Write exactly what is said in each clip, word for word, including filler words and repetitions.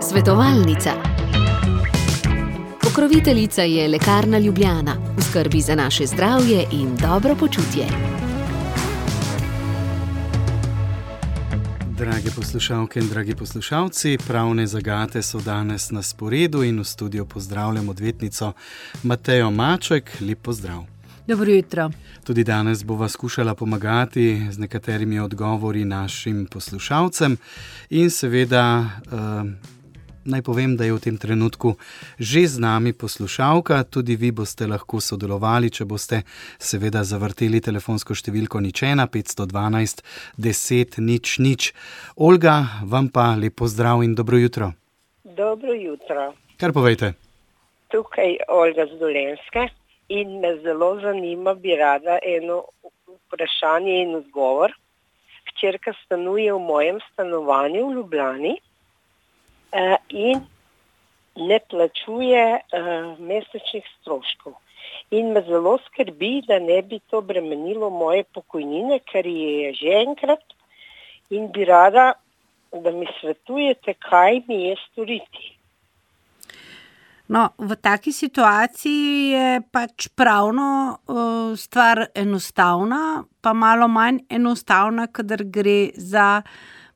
Svetovalnica. Pokroviteljica je Lekarna Ljubljana, v skrbi za naše zdravje in dobro počutje. Drage poslušalke in dragi poslušalci, pravne zagate so danes na sporedu in v studiu pozdravljam odvetnico Matejo Maček. Lep pozdrav. Dobro jutro. Tudi danes bova skušala pomagati z nekaterimi odgovori našim poslušalcem in seveda eh, naj povem, da je v tem trenutku že z nami poslušalka. Tudi vi boste lahko sodelovali, če boste seveda zavrteli telefonsko številko nič ena petsto dvanajst deset nič nič. Olga, vam pa lep pozdrav in dobro jutro. Dobro jutro. Kar povejte. Tukaj Olga z Dolenjske in me zelo zanima, bi rada eno vprašanje in odgovor. Hčerka stanuje v mojem stanovanju v Ljubljani uh, in ne plačuje uh, mesečnih stroškov. In me zelo skrbi, da ne bi to bremenilo moje pokojnine, ker je že enkrat, in bi rada, da mi svetujete, kaj mi je storiti. No, v taki situaciji je pač pravno uh, stvar enostavna, pa malo manj enostavna, kadar gre za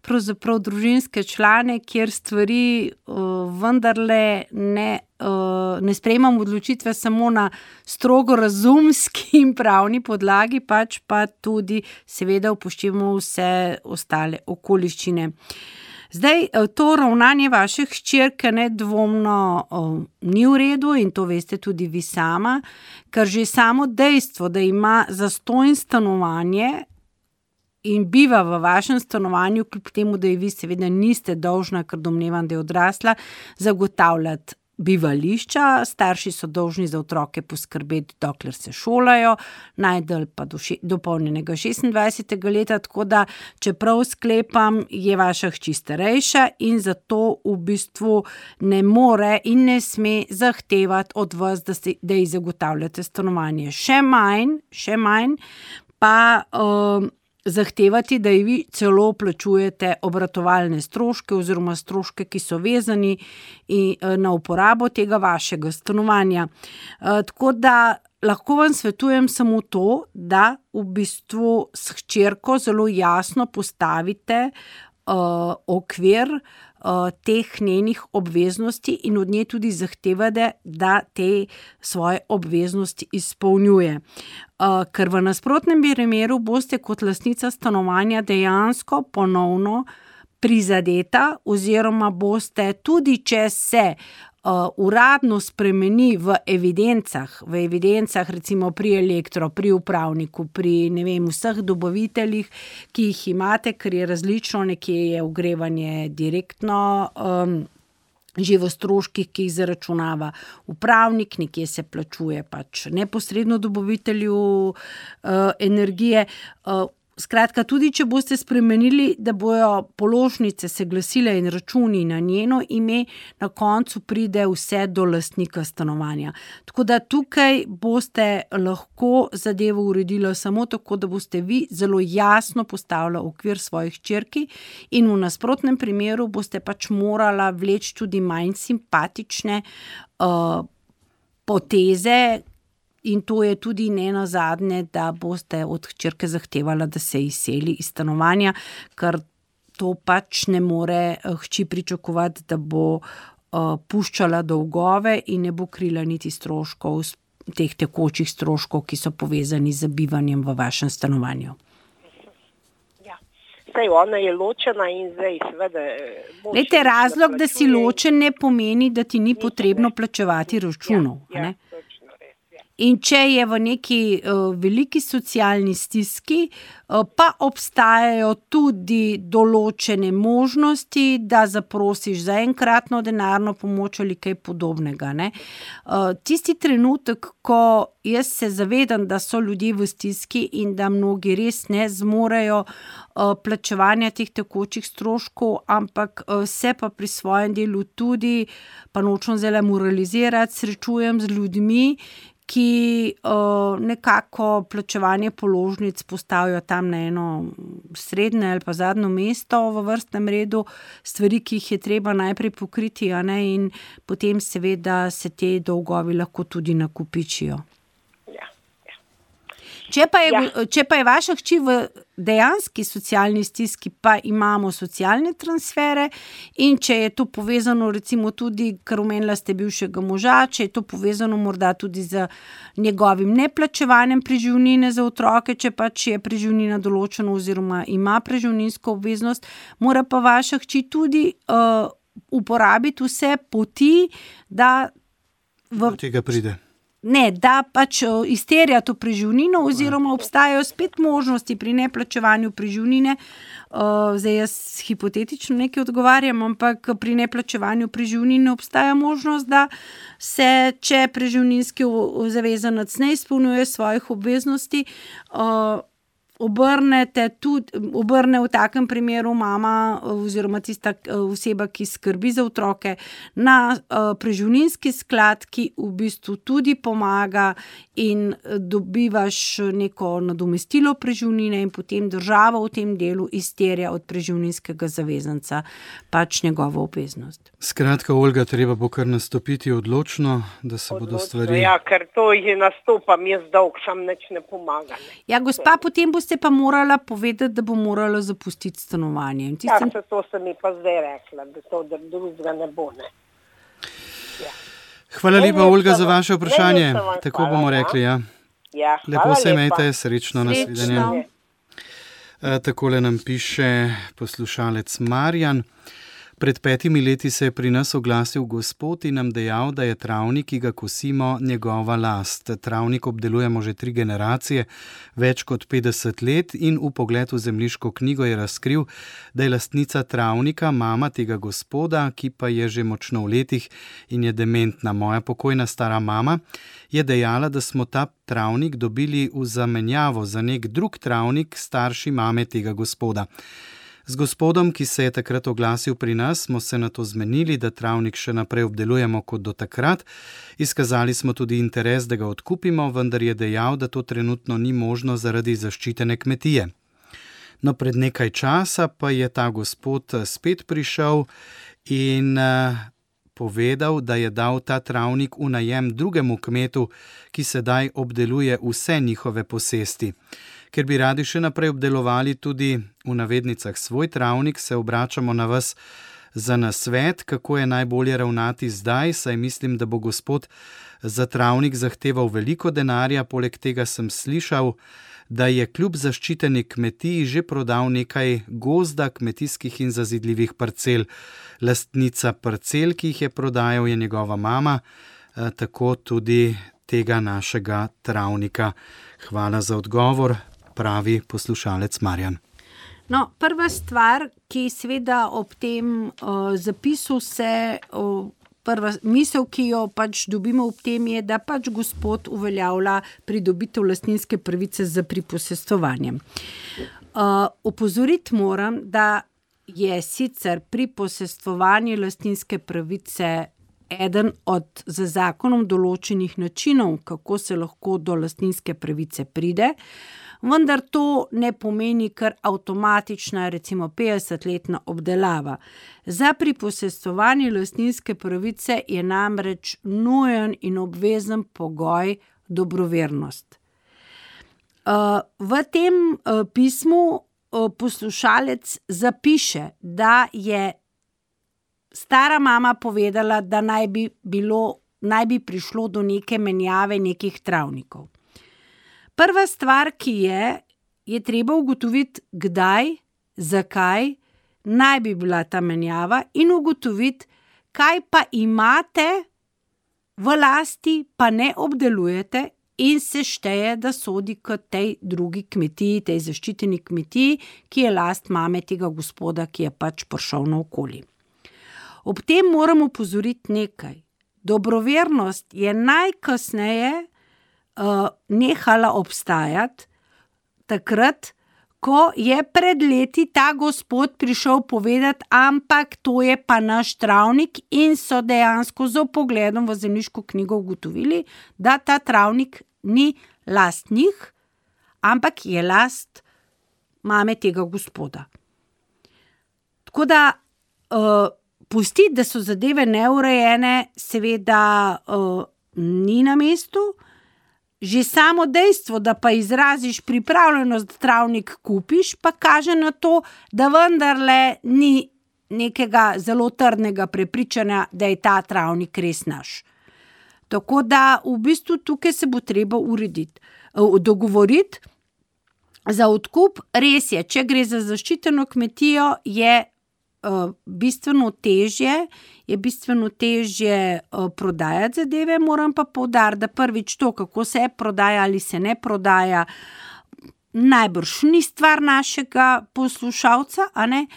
pravzaprav družinske člane, kjer stvari uh, vendarle ne, uh, ne sprejemamo odločitve samo na strogo razumski in pravni podlagi, pač pa tudi seveda upoštevamo vse ostale okoliščine. Zdaj, to ravnanje vaše hčerke nedvomno o, ni v redu in to veste tudi vi sama, ker že samo dejstvo, da ima zastonj stanovanje in biva v vašem stanovanju, kljub temu, da ji vi seveda niste dolžna, ker domnevam, da je odrasla, zagotavljati bivališča. Starši so dolžni za otroke poskrbeti, dokler se šolajo, najdalj pa do še, dopolnjenega šestindvajsetega leta, tako da, čeprav sklepam, je vaša hči starejša in zato v bistvu ne more in ne sme zahtevati od vas, da, se, da ji zagotavljate stanovanje. Še manj, še manj pa um, zahtevati, da ji vi celo plačujete obratovalne stroške oziroma stroške, ki so vezani in, na uporabo tega vašega stanovanja. E, tako da lahko vam svetujem samo to, da v bistvu s hčerko zelo jasno postavite uh, okvir uh, teh njenih obveznosti in od nje tudi zahtevate, da te svoje obveznosti izpolnjuje. Uh, ker v nasprotnem primeru boste kot lastnica stanovanja dejansko ponovno prizadeta oziroma boste tudi, če se uh, uradno spremeni v evidencah, v evidencah recimo pri elektro, pri upravniku, pri ne vem, vseh dobaviteljih, ki jih imate, ker je različno, nekje je ogrevanje direktno um, že v stroških, ki jih zaračunava upravnik, nekje se plačuje pač neposredno dobavitelju uh, energije. Uh, skratka, tudi če boste spremenili, da bojo položnice se glasile in računi na njeno ime, na koncu pride vse do lastnika stanovanja. Tako da tukaj boste lahko zadevo uredili samo tako, da boste vi zelo jasno postavili okvir svojih hčerki in v nasprotnem primeru boste pač morala vleči tudi manj simpatične uh, poteze, in to je tudi nenazadnje, da boste od hčerke zahtevala, da se izseli iz stanovanja, ker to pač ne more hči pričakovati, da bo uh, puščala dolgove in ne bo krila niti stroškov, teh tekočih stroškov, ki so povezani z bivanjem v vašem stanovanju. Zdaj, ona je ločena in zdaj seveda... Lejte, razlog, da si ločen, ne pomeni, da ti ni potrebno plačevati računov. Ja, ja. In če je v neki uh, veliki socialni stiski, uh, pa obstajajo tudi določene možnosti, da zaprosiš za enkratno denarno pomoč ali kaj podobnega. Ne? Uh, tisti trenutek, ko jaz se zavedam, da so ljudje v stiski in da mnogi res ne zmorejo uh, plačevanja teh tekočih stroškov, ampak uh, se pa pri svojem delu tudi, pa nočem zdaj moralizirati, srečujem z ljudmi, ki uh, nekako plačevanje položnic postavijo tam na eno srednje ali pa zadnjo mesto v vrstnem redu, stvari, ki jih je treba najprej pokriti, a ne, in potem seveda se te dolgovi lahko tudi nakupičijo. Če pa, je, ja. če pa je vaša hči v dejanski socialni stiski, pa imamo socialne transfere, in če je to povezano recimo tudi, kar omenila ste bivšega moža, če je to povezano morda tudi z njegovim neplačevanjem preživnine za otroke, če pač je preživnina določena oziroma ima preživninsko obveznost, mora pa vaša hči tudi uh, uporabiti vse poti, da v... do tega pride. Ne, da pač izterja to preživnino oziroma obstajajo spet možnosti pri neplačevanju preživnine. Zdaj jaz hipotetično nekaj odgovarjam, ampak pri neplačevanju preživnine obstaja možnost, da se, če preživninski zavezanec ne izpolnjuje svojih obveznosti, obrnete tudi, obrne v takem primeru mama oziroma tista oseba, ki skrbi za otroke, na uh, preživninski sklad, ki v bistvu tudi pomaga in dobivaš neko nadomestilo preživnine in potem država v tem delu izterja od preživninskega zavezanca pač njegovo obveznost. Skratka, Olga, treba bo kar nastopiti odločno, da se odločno, bodo stvari... Ja, ker to je nastopam, jaz dolg sam nič ne pomaga. Ne. Ja, gospa, potem boste pa morala povedati, da bo morala zapustiti stanovanje. Tistem... Ja, to se mi pa zdaj rekla, da to da drugega ne bo, ne. Ja. Hvala lepa, Olga, za vaše vprašanje. Tako hvala, bomo rekli, ja. Ja, lepo se imejte, srečno, srečno. nasvidenje. E, takole nam piše poslušalec Marjan. Pred petimi leti se je pri nas oglasil gospod in nam dejal, da je travnik, ki ga kosimo, njegova last. Travnik obdelujemo že tri generacije, več kot petdeset let, in v pogled v zemljiško knjigo je razkril, da je lastnica travnika mama tega gospoda, ki pa je že močno v letih in je dementna. Moja pokojna stara mama je dejala, da smo ta travnik dobili v zamenjavo za nek drug travnik starši mame tega gospoda. Z gospodom, ki se je takrat oglasil pri nas, smo se na to zmenili, da travnik še naprej obdelujemo kot do takrat. Izkazali smo tudi interes, da ga odkupimo, vendar je dejal, da to trenutno ni možno zaradi zaščitene kmetije. No, pred nekaj časa pa je ta gospod spet prišel in uh, povedal, da je dal ta travnik v najem drugemu kmetu, ki sedaj obdeluje vse njihove posesti. Ker bi radi še naprej obdelovali tudi v navednicah svoj travnik, se obračamo na vas za nasvet, kako je najbolje ravnati zdaj, saj mislim, da bo gospod za travnik zahteval veliko denarja. Poleg tega sem slišal, da je kljub zaščiteni kmetiji že prodal nekaj gozda, kmetijskih in zazidljivih parcel. Lastnica parcel, ki jih je prodajal, je njegova mama, tako tudi tega našega travnika. Hvala za odgovor, pravi poslušalec Marjan. No, prva stvar, ki seveda ob tem uh, zapisu se, uh, prva misel, ki jo pač dobimo ob tem, je, da pač gospod uveljavlja pridobitev lastninske pravice z priposestvovanjem. Uh, opozoriti moram, da je sicer priposestvovanje lastninske pravice eden od z zakonom določenih načinov, kako se lahko do lastninske pravice pride, vendar to ne pomeni kar avtomatična, recimo petdesetletna obdelava. Za priposestvovanje lastninske pravice je namreč nujen in obvezen pogoj dobrovernost. V tem pismu poslušalec zapiše, da je stara mama povedala, da naj bi bilo, naj bi prišlo do neke menjave nekih travnikov. Prva stvar, ki je, je treba ugotoviti, kdaj, zakaj naj bi bila ta menjava in ugotoviti, kaj pa imate v lasti, pa ne obdelujete in se šteje, da sodi k tej drugi kmetiji, tej zaščiteni kmetiji, ki je last mame tega gospoda, ki je pač prišel naokoli. Ob tem moramo opozoriti nekaj. Dobrovernost je najkasneje uh, nehala obstajati takrat, ko je pred leti ta gospod prišel povedati, ampak to je pa naš travnik in so dejansko z vpogledom v zemljiško knjigo ugotovili, da ta travnik ni last njih, ampak je last mame tega gospoda. Tako da uh, pustiti, da so zadeve neurejene, seveda uh, ni na mestu. Že samo dejstvo, da pa izraziš pripravljenost, da travnik kupiš, pa kaže na to, da vendarle ni nekega zelo trdnega prepričanja, da je ta travnik res naš. Tako da v bistvu tukaj se bo treba urediti, dogovoriti za odkup. Res je, če gre za zaščiteno kmetijo, je uh, bistveno težje, je bistveno težje uh, prodajati zadeve, moram pa poudariti, da prvič to, kako se prodaja ali se ne prodaja, najbrž ni stvar našega poslušalca, a ne?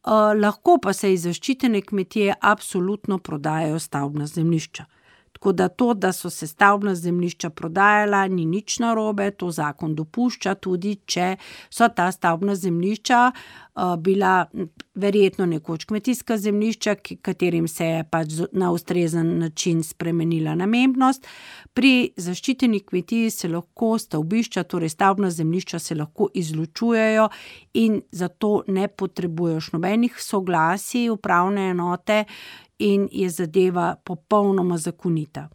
Uh, lahko pa se iz zaščitene kmetije absolutno prodajajo stavbna zemljišča. Tako da to, da so se stavbna zemljišča prodajala, ni nič narobe, to zakon dopušča, tudi če so ta stavbna zemljišča uh, bila verjetno nekoč kmetijska zemljišča, katerim se je pač na ustrezen način spremenila namembnost. Pri zaščiteni kmetiji se lahko stavbišča, torej stavbna zemljišča se lahko izločujejo in zato ne potrebuješ nobenih soglasij upravne enote in je zadeva popolnoma zakonita.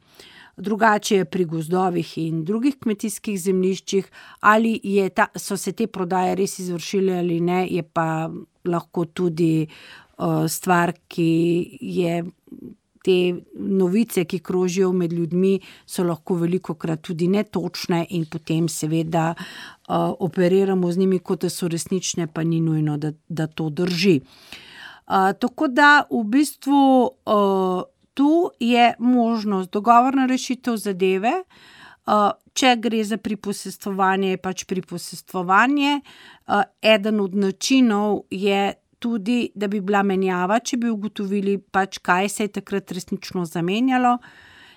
Drugače je pri gozdovih in drugih kmetijskih zemljiščih, ali je ta, so se te prodaje res izvršile ali ne, je pa lahko tudi uh, stvar, ki je te novice, ki krožijo med ljudmi, so lahko velikokrat tudi netočne in potem seveda uh, operiramo z njimi, kot da so resnične, pa ni nujno, da, da to drži. Uh, tako da v bistvu uh, tu je možnost dogovorna rešitev zadeve, uh, če gre za priposestvovanje, je pač priposestvovanje. Uh, eden od načinov je tudi, da bi bila menjava, če bi ugotovili pač, kaj se je takrat resnično zamenjalo.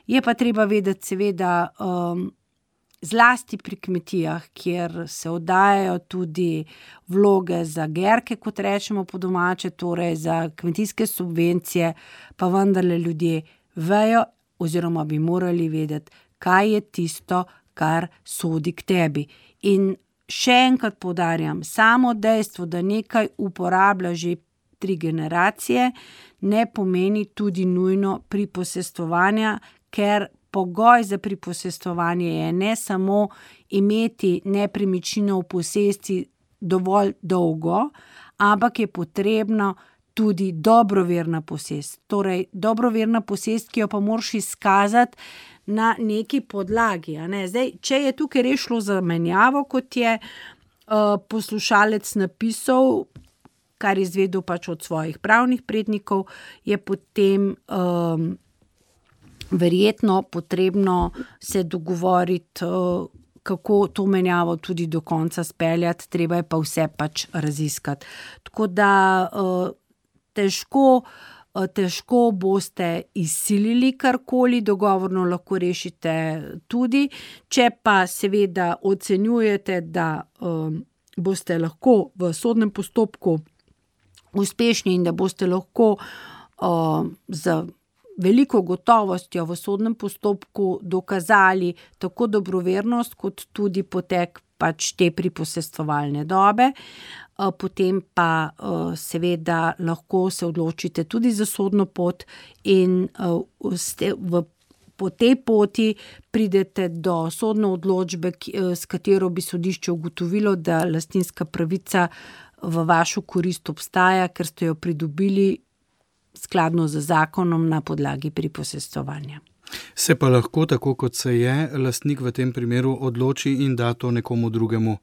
Je pa treba vedeti seveda um, zlasti pri kmetijah, kjer se oddajajo tudi vloge za gerke, kot rečemo po domače, torej za kmetijske subvencije, pa vendarle ljudje vejo oziroma bi morali vedeti, kaj je tisto, kar sodi k tebi. In še enkrat poudarjam, samo dejstvo, da nekaj uporablja že tri generacije, ne pomeni tudi nujno priposestvovanja, ker pogoj za priposestvovanje je ne samo imeti nepremičnino v posesti dovolj dolgo, ampak je potrebno tudi dobroverna posest. Torej, dobroverna posest, ki jo pa moraš izkazati na neki podlagi. A ne? Zdaj, če je tukaj res šlo za menjavo, kot je uh, poslušalec napisal, kar je izvedel pač od svojih pravnih prednikov, je potem um, verjetno potrebno se dogovoriti, uh, kako to menjavo tudi do konca speljati, treba je pa vse pač raziskati. Tako da uh, težko, uh, težko boste izsilili karkoli, dogovorno lahko rešite tudi, če pa seveda ocenjujete, da um, boste lahko v sodnem postopku uspešni in da boste lahko uh, z veliko gotovostjo v sodnem postopku dokazali tako dobrovernost, kot tudi potek pač te priposestvovalne dobe. Uh, potem pa uh, seveda lahko se odločite tudi za sodno pot in uh, ste v po tej poti pridete do sodne odločbe, s katero bi sodišče ugotovilo, da lastninska pravica v vašo korist obstaja, ker ste jo pridobili skladno z zakonom na podlagi priposestvovanja. Se pa lahko, tako kot se je, lastnik v tem primeru odloči in da to nekomu drugemu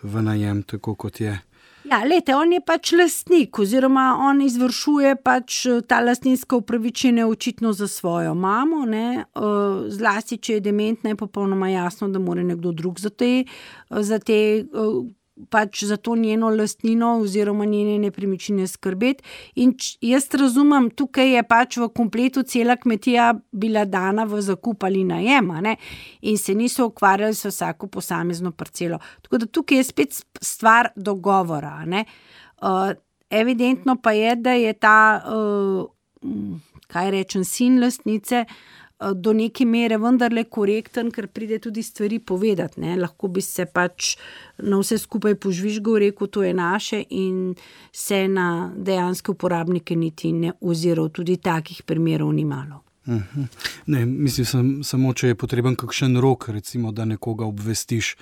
v najem, tako kot je. Ja, lejte, on je pač lastnik oziroma on izvršuje pač ta lastninska upravičenja očitno za svojo mamo, ne, zlasti, če je dementna, je popolnoma jasno, da mora nekdo drug za te, za te pač za to njeno lastnino oziroma njene nepremičnine skrbeti. In jaz razumem, tukaj je pač v kompletu cela kmetija bila dana v zakup ali najem, ne? In se niso ukvarjali s vsako posamezno parcelo. Tako da tukaj je spet stvar dogovora, ne? Uh, evidentno pa je, da je ta, uh, kaj rečem, sin lastnice do neke mere vendarle korekten, ker pride tudi stvari povedati, ne. Lahko bi se pač na vse skupaj požvižgal, rekel, to je naše in se na dejanske uporabnike niti ne oziral. Tudi takih primerov ni malo. Uh-huh. Ne, mislim sam, samo, če je potreben kakšen rok, recimo, da nekoga obvestiš,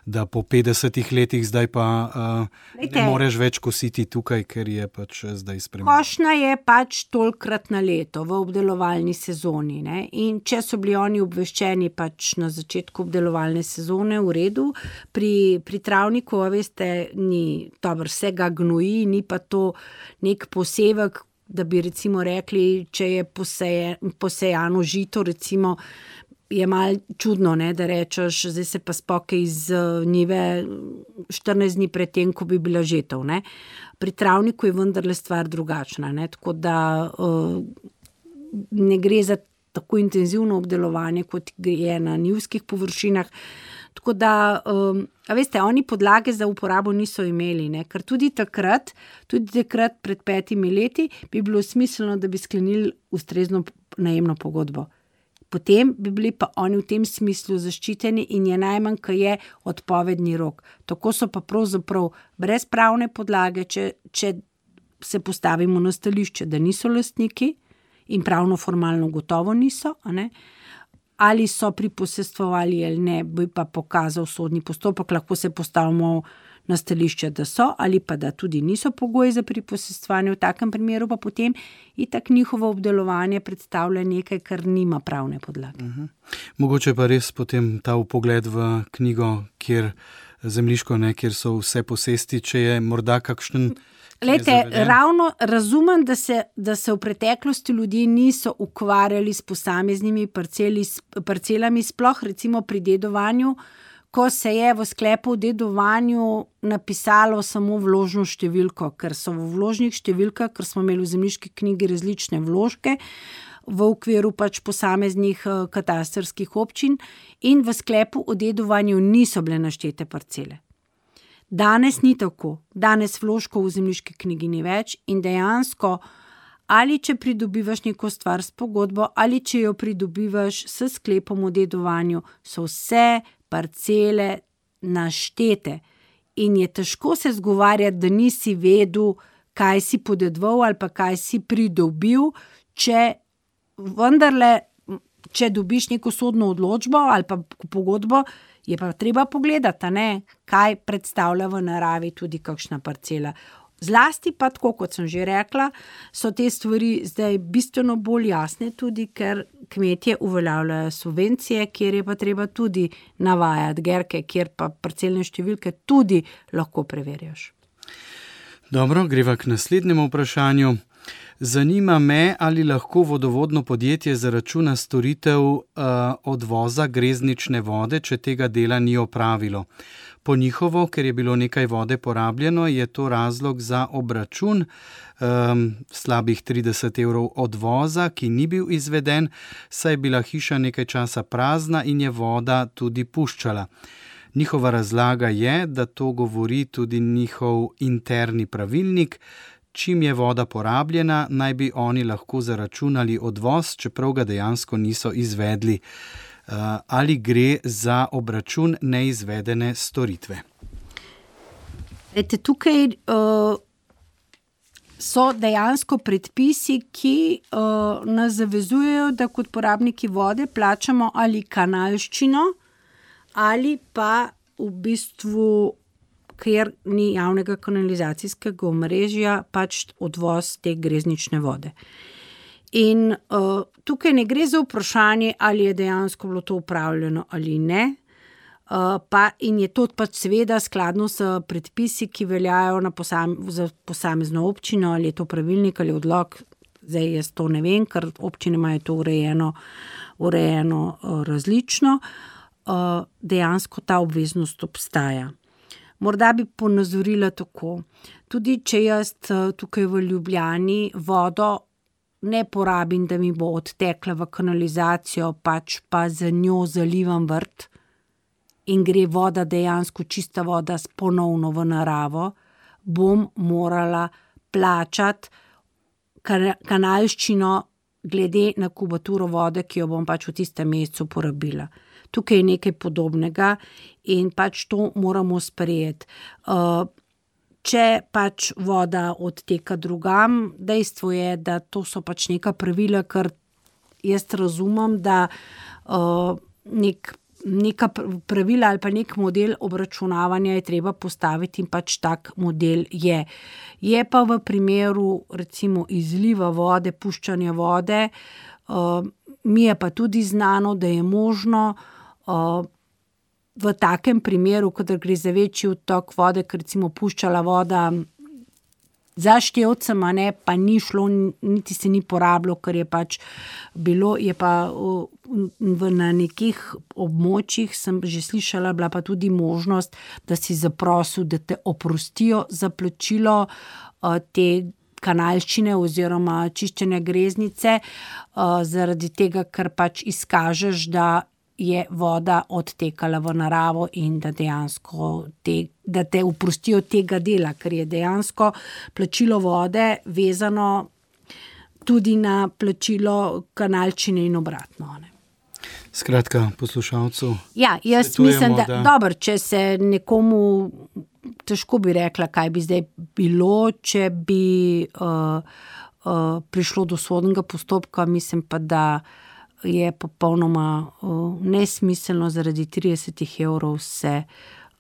da po petdesetih letih zdaj pa uh, ne moreš več kositi tukaj, ker je pač zdaj spremenjeno. Košnja je pač tolikrat na leto v obdelovalni sezoni, ne? In če so bili oni obveščeni pač na začetku obdelovalne sezone, v redu, pri, pri travniku, veste, ni dobro, vse ga gnoji, ni pa to nek posevek, da bi recimo rekli, če je poseje, posejano žito, recimo, je malo čudno, ne, da rečeš, zdaj se pa spoke iz njive štirinajst dni pred tem, ko bi bila žetev, ne. Pri travniku je vendarle stvar drugačna, ne, tako da uh, ne gre za tako intenzivno obdelovanje, kot je na njivskih površinah. Tako da, um, a veste, oni podlage za uporabo niso imeli, ne? Ker tudi takrat, tudi takrat pred petimi leti bi bilo smiselno, da bi sklenili ustrezno najemno pogodbo. Potem bi bili pa oni v tem smislu zaščiteni in je najmanj, kaj je odpovedni rok. Tako so pa pravzaprav brez pravne podlage, če, če se postavimo na stališče, da niso lastniki in pravno formalno gotovo niso, a ne? Ali so priposestvovali ali ne, bi pa pokazal sodni postopek, lahko se postavimo na stališče, da so, ali pa da tudi niso pogoji za priposestvovanje, v takem primeru pa potem itak njihovo obdelovanje predstavlja nekaj, kar nima pravne podlage. Uh-huh. Mogoče pa res potem ta vpogled v knjigo, kjer zemljiško, ne, kjer so vse posesti, če je morda kakšen... Lejte, ravno razumem, da se, da se v preteklosti ljudje niso ukvarjali s posameznimi parceli, parcelami, sploh recimo pri dedovanju, ko se je v sklepu o dedovanju napisalo samo vložno številko, ker so v vložnih številkah, ker smo imeli v zemljiški knjigi različne vložke v okviru pač posameznih katastrskih občin in v sklepu o dedovanju niso bile naštete parcele. Danes ni tako. Danes vložkov v zemljiški knjigi ni več in dejansko ali če pridobivaš neko stvar s pogodbo ali če jo pridobivaš s sklepom o dedovanju, so vse parcele naštete in je težko se zgovarjati, da nisi vedel, kaj si podedoval ali pa kaj si pridobil, če vendarle, če dobiš neko sodno odločbo ali pa pogodbo, je pa treba pogledati, ne, kaj predstavlja v naravi tudi kakšna parcela. Zlasti pa, tako kot sem že rekla, so te stvari zdaj bistveno bolj jasne tudi, ker kmetje uveljavljajo subvencije, kjer je pa treba tudi navajati gerke, kjer pa parcelne številke tudi lahko preverjaš. Dobro, greva k naslednjemu vprašanju. Zanima me, ali lahko vodovodno podjetje zaračuna storitev uh, odvoza greznične vode, če tega dela ni opravilo. Po njihovo, ker je bilo nekaj vode porabljeno, je to razlog za obračun um, slabih trideset evrov odvoza, ki ni bil izveden, saj je bila hiša nekaj časa prazna in je voda tudi puščala. Njihova razlaga je, da to govori tudi njihov interni pravilnik. Čim je voda porabljena, naj bi oni lahko zaračunali odvoz, čeprav ga dejansko niso izvedli. Ali gre za obračun neizvedene storitve? Ete, tukaj uh, so dejansko predpisi, ki uh, nas zavezujejo, da kot porabniki vode plačamo ali kanalščino ali pa v bistvu, ker ni javnega kanalizacijskega omrežja, pač odvoz te greznične vode. In uh, tukaj ne gre za vprašanje, ali je dejansko bilo to upravljeno ali ne, uh, pa in je to pač seveda skladno s predpisi, ki veljajo na posam, za posamezno občino, ali je to pravilnik ali odlok, zdaj jaz to ne vem, ker občine imajo to urejeno, urejeno uh, različno, uh, dejansko ta obveznost obstaja. Morda bi ponazorila tako. Tudi če jaz tukaj v Ljubljani vodo ne porabim, da mi bo odtekla v kanalizacijo, pač pa za njo zalivam vrt in gre voda dejansko čista voda ponovno v naravo, bom morala plačati kanalščino glede na kubaturo vode, ki jo bom pač v tistem mesecu porabila. Tukaj je nekaj podobnega in pač to moramo sprejeti. Uh, Če pač voda odteka drugam, dejstvo je, da to so pač neka pravila, ker jaz razumem, da uh, nek, neka pravila ali pa nek model obračunavanja je treba postaviti in pač tak model je. Je pa v primeru recimo izliva vode, puščanja vode, uh, mi je pa tudi znano, da je možno uh, v takem primeru, kadar gre za večji odtok vode, ker recimo puščala voda za števcem, ne, pa ni šlo, niti se ni porabilo, ker je pač bilo, je pa v, na nekih območjih, sem že slišala, bila pa tudi možnost, da si zaprosil, da te oprostijo za plačilo uh, te kanalščine oziroma čiščenja greznice, uh, zaradi tega, ker pač izkažeš, da je voda odtekala v naravo in da dejansko te, da te oprostijo tega dela, ker je dejansko plačilo vode vezano tudi na plačilo kanalčine in obratno. Ne. Skratka, poslušalcu. Ja, jaz mislim, da, da... Dobro, če se nekomu, težko bi rekla, kaj bi zdaj bilo, če bi uh, uh, prišlo do sodnega postopka, mislim pa, da je popolnoma uh, nesmiselno zaradi trideset evrov se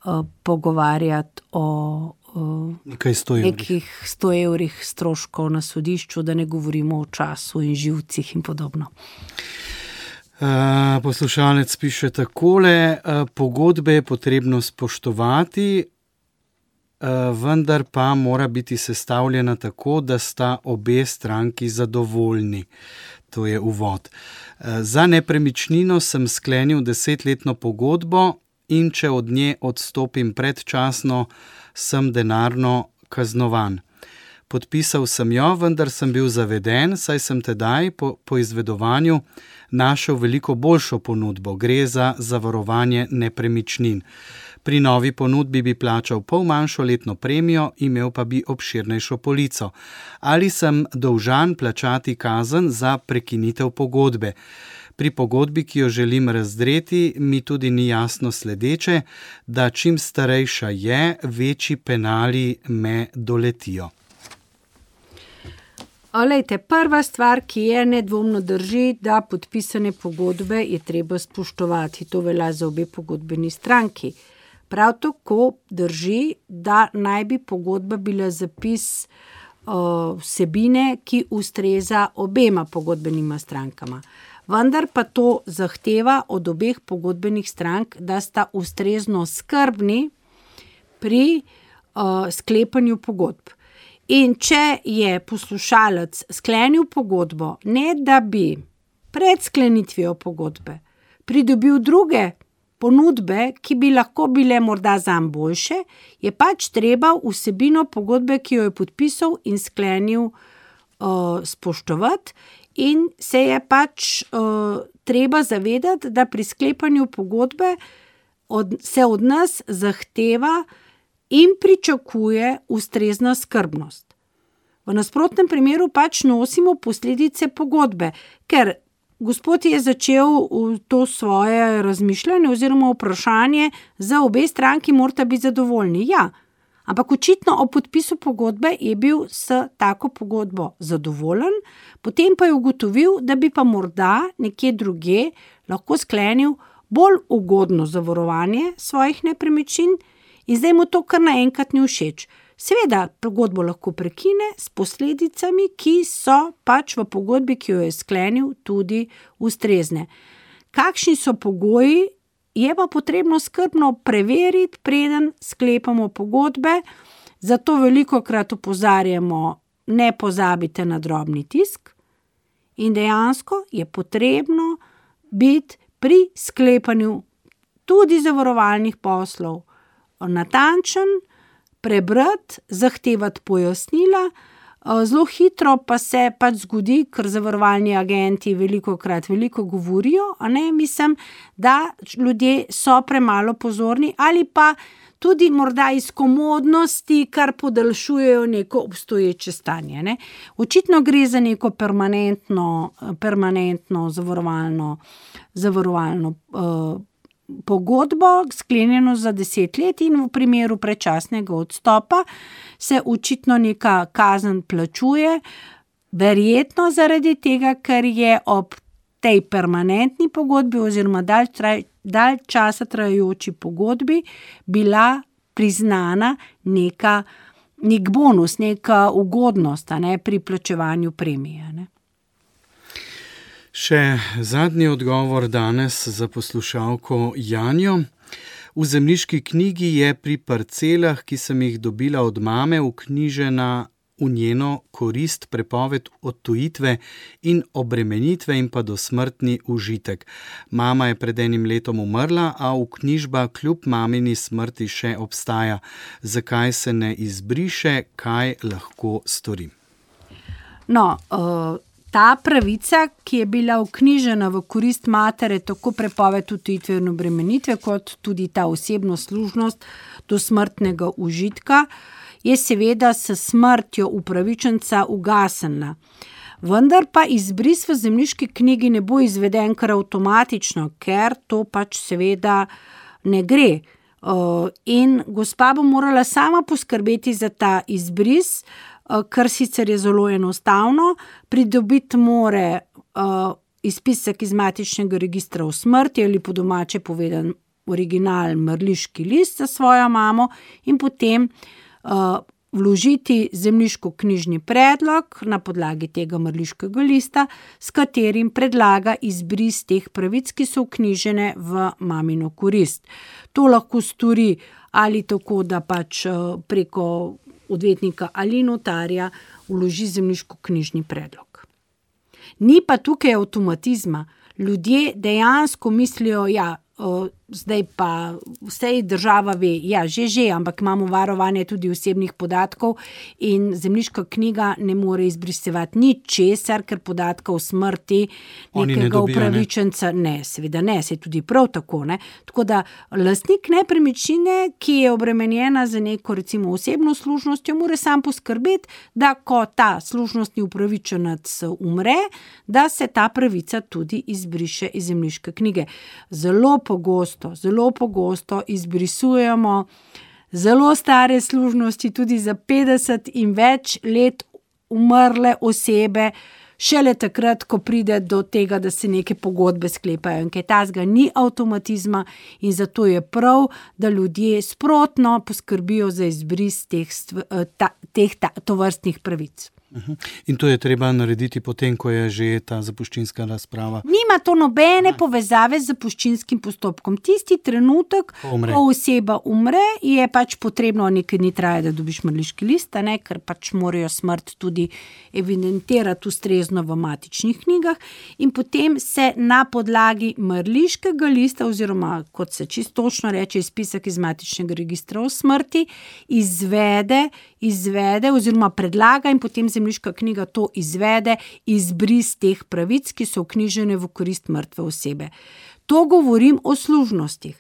uh, pogovarjati o uh, nekaj sto nekih sto evrih stroškov na sodišču, da ne govorimo o času in živcih in podobno. Uh, poslušalec piše takole, uh, pogodbe je potrebno spoštovati, uh, vendar pa mora biti sestavljena tako, da sta obe stranki zadovoljni. To je uvod. Za nepremičnino sem sklenil desetletno pogodbo in če od nje odstopim predčasno, sem denarno kaznovan. Podpisal sem jo, vendar sem bil zaveden, saj sem tedaj po, po izvedovanju našel veliko boljšo ponudbo. Gre za zavarovanje nepremičnin. Pri novi ponudbi bi plačal pol manjšo letno premijo, imel pa bi obširnejšo polico. Ali sem dolžan plačati kazen za prekinitev pogodbe? Pri pogodbi, ki jo želim razdreti, mi tudi ni jasno sledeče, da čim starejša je, večji penali me doletijo. Olejte, prva stvar, ki je nedvomno drži, da podpisane pogodbe je treba spoštovati. To velja za obe pogodbeni stranki. Prav tako drži, da naj bi pogodba bila zapis uh, vsebine, ki ustreza obema pogodbenima strankama. Vendar pa to zahteva od obeh pogodbenih strank, da sta ustrezno skrbni pri uh, sklepanju pogodb. In če je poslušalec sklenil pogodbo, ne da bi pred sklenitvijo pogodbe pridobil druge ponudbe, ki bi lahko bile morda zanj boljše, je pač treba vsebino pogodbe, ki jo je podpisal in sklenil, uh, spoštovati in se je pač uh, treba zavedati, da pri sklepanju pogodbe od, se od nas zahteva in pričakuje ustrezna skrbnost. V nasprotnem primeru pač nosimo posledice pogodbe, ker gospod je začel to svoje razmišljanje oziroma vprašanje, za obe stranki morata biti zadovoljni. Ja, ampak očitno ob podpisu pogodbe je bil s tako pogodbo zadovoljen, potem pa je ugotovil, da bi pa morda nekje drugje lahko sklenil bolj ugodno zavarovanje svojih nepremičnin in zdaj mu to kar naenkrat ni všeč. Seveda, pogodbo lahko prekine s posledicami, ki so pač v pogodbi, ki jo je sklenil, tudi ustrezne. Kakšni so pogoji, je pa potrebno skrbno preveriti, preden sklepamo pogodbe, zato velikokrat opozarjamo, ne pozabite na drobni tisk in dejansko je potrebno biti pri sklepanju tudi zavarovalnih poslov natančen, prebrati, zahtevati pojasnila. Zelo hitro pa se pač zgodi, ker zavarovalni agenti velikokrat veliko govorijo, a ne, mislim, da ljudje so premalo pozorni ali pa tudi morda iz komodnosti, kar podaljšujejo neko obstoječe stanje. Ne. Očitno gre za neko permanentno, permanentno zavarovalno, zavarovalno uh, pogodbo, sklenjeno za deset let, in v primeru predčasnega odstopa se očitno neka kazen plačuje, verjetno zaradi tega, ker je ob tej permanentni pogodbi oziroma dalj, traj, dalj časa trajajoči pogodbi bila priznana neka, nek bonus, neka ugodnost, a ne, pri plačevanju premije. Ne. Še zadnji odgovor danes za poslušalko Janjo. V zemljiški knjigi je pri parcelah, ki sem jih dobila od mame, vknjižena v njeno korist prepoved odtujitve in obremenitve in pa dosmrtni užitek. Mama je pred enim letom umrla, a vknjižba kljub mamini smrti še obstaja. Zakaj se ne izbriše, kaj lahko storim? No, uh... Ta pravica, ki je bila vknjižena v korist matere, tako prepoved odtujitve in obremenitve, kot tudi ta osebno služnost do smrtnega užitka, je seveda s smrtjo upravičenca ugasnila. Vendar pa izbris v zemljiški knjigi ne bo izveden kar avtomatično, ker to pač seveda ne gre. In gospa bo morala sama poskrbeti za ta izbris, kar sicer je zelo enostavno. Pridobiti more uh, izpisek iz matičnega registra o smrti ali po domače povedan original mrliški list za svojo mamo in potem uh, vložiti zemljiško-knjižni predlog na podlagi tega mrliškega lista, s katerim predlaga izbris teh pravic, ki so vknjižene v mamino korist. To lahko stori ali tako, da pač uh, preko odvetnika ali notarja vloži zemljiško-knjižni predlog. Ni pa tukaj avtomatizma. Ljudje dejansko mislijo, ja, o, zdaj pa vse država ve, ja, že, že, ampak imamo varovanje tudi osebnih podatkov in zemljiška knjiga ne more izbrisevati ničesar, ker podatka o smrti nekega ne dobijo, upravičenca, ne, ne seveda ne, se tudi prav tako, ne. Tako da lastnik nepremičnine, ki je obremenjena za neko recimo osebno služnostjo, mora sam poskrbeti, da ko ta služnostni upravičenec umre, da se ta pravica tudi izbriše iz zemljiške knjige. Zelo pogosto Zelo pogosto izbrisujemo zelo stare služnosti, tudi za petdeset in več let umrle osebe, šele takrat, ko pride do tega, da se neke pogodbe sklepajo. In kaj tazga ni avtomatizma in zato je prav, da ljudje sprotno poskrbijo za izbris teh, ta, teh ta, tovrstnih pravic. In to je treba narediti potem, ko je že ta zapuščinska razprava. Nima to nobene Aha. povezave z zapuščinskim postopkom. Tisti trenutek, umre. ko oseba umre, je pač potrebno, nekaj dni traja, da dobiš mrliški list, ne, ker pač morajo smrt tudi evidentirati ustrezno v matičnih knjigah in potem se na podlagi mrliškega lista oziroma, kot se čisto točno reče, izpisek iz matičnega registra o smrti, izvede, izvede oziroma predlaga in potem zemljiška knjiga to izvede, izbris teh pravic, ki so vknjižene v korist mrtve osebe. To govorim o služnostih.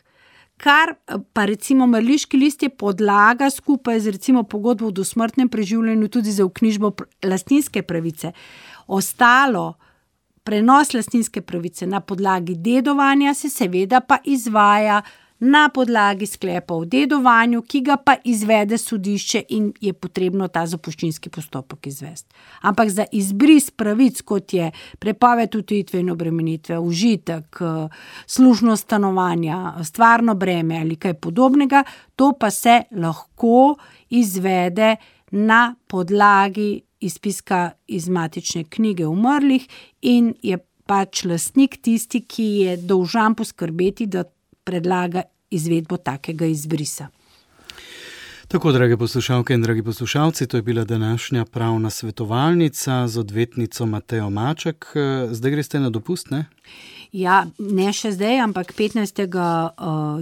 Kar pa recimo mrliški list je podlaga skupaj z recimo pogodbo o dosmrtnem preživljanju tudi za vknjižbo lastninske pravice. Ostalo, prenos lastninske pravice na podlagi dedovanja se seveda pa izvaja na podlagi sklepa o dedovanju, ki ga pa izvede sodišče in je potrebno ta zapuščinski postopek izvesti. Ampak za izbris pravic, kot je prepoved odtujitve in obremenitve, užitek, služnost stanovanja, stvarno breme ali kaj podobnega, to pa se lahko izvede na podlagi izpiska iz matične knjige umrlih in je pač lastnik tisti, ki je dolžan poskrbeti, da predlaga izvedbo takega izbrisa. Tako, drage poslušalke in dragi poslušalci, to je bila današnja pravna svetovalnica z odvetnico Matejo Maček. Zdaj greste na dopust, ne? Ja, ne še zdaj, ampak petnajstega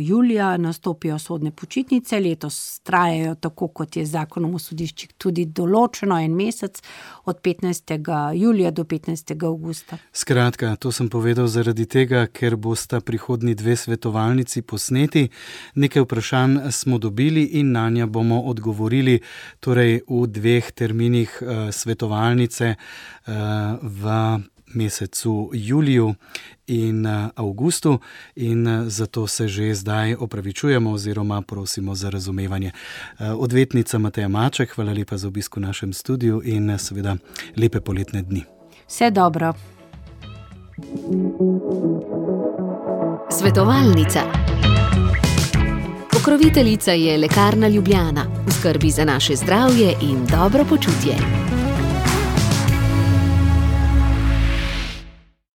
julija nastopijo sodne počitnice, letos trajajo tako, kot je z zakonom o sodiščih tudi določeno, en mesec, od petnajstega julija do petnajstega avgusta. Skratka, to sem povedal zaradi tega, ker bosta prihodnji dve svetovalnici posneti. Nekaj vprašanj smo dobili in na nja bomo odgovorili torej v dveh terminih uh, svetovalnice uh, v mesecu juliju in avgustu in zato se že zdaj opravičujemo oziroma prosimo za razumevanje. Odvetnica Mateja Maček, hvala lepa za obisk v našem studiu in seveda lepe poletne dni. Vse dobro. Svetovalnica. Pokroviteljica je Lekarna Ljubljana. V skrbi za naše zdravje in dobro počutje.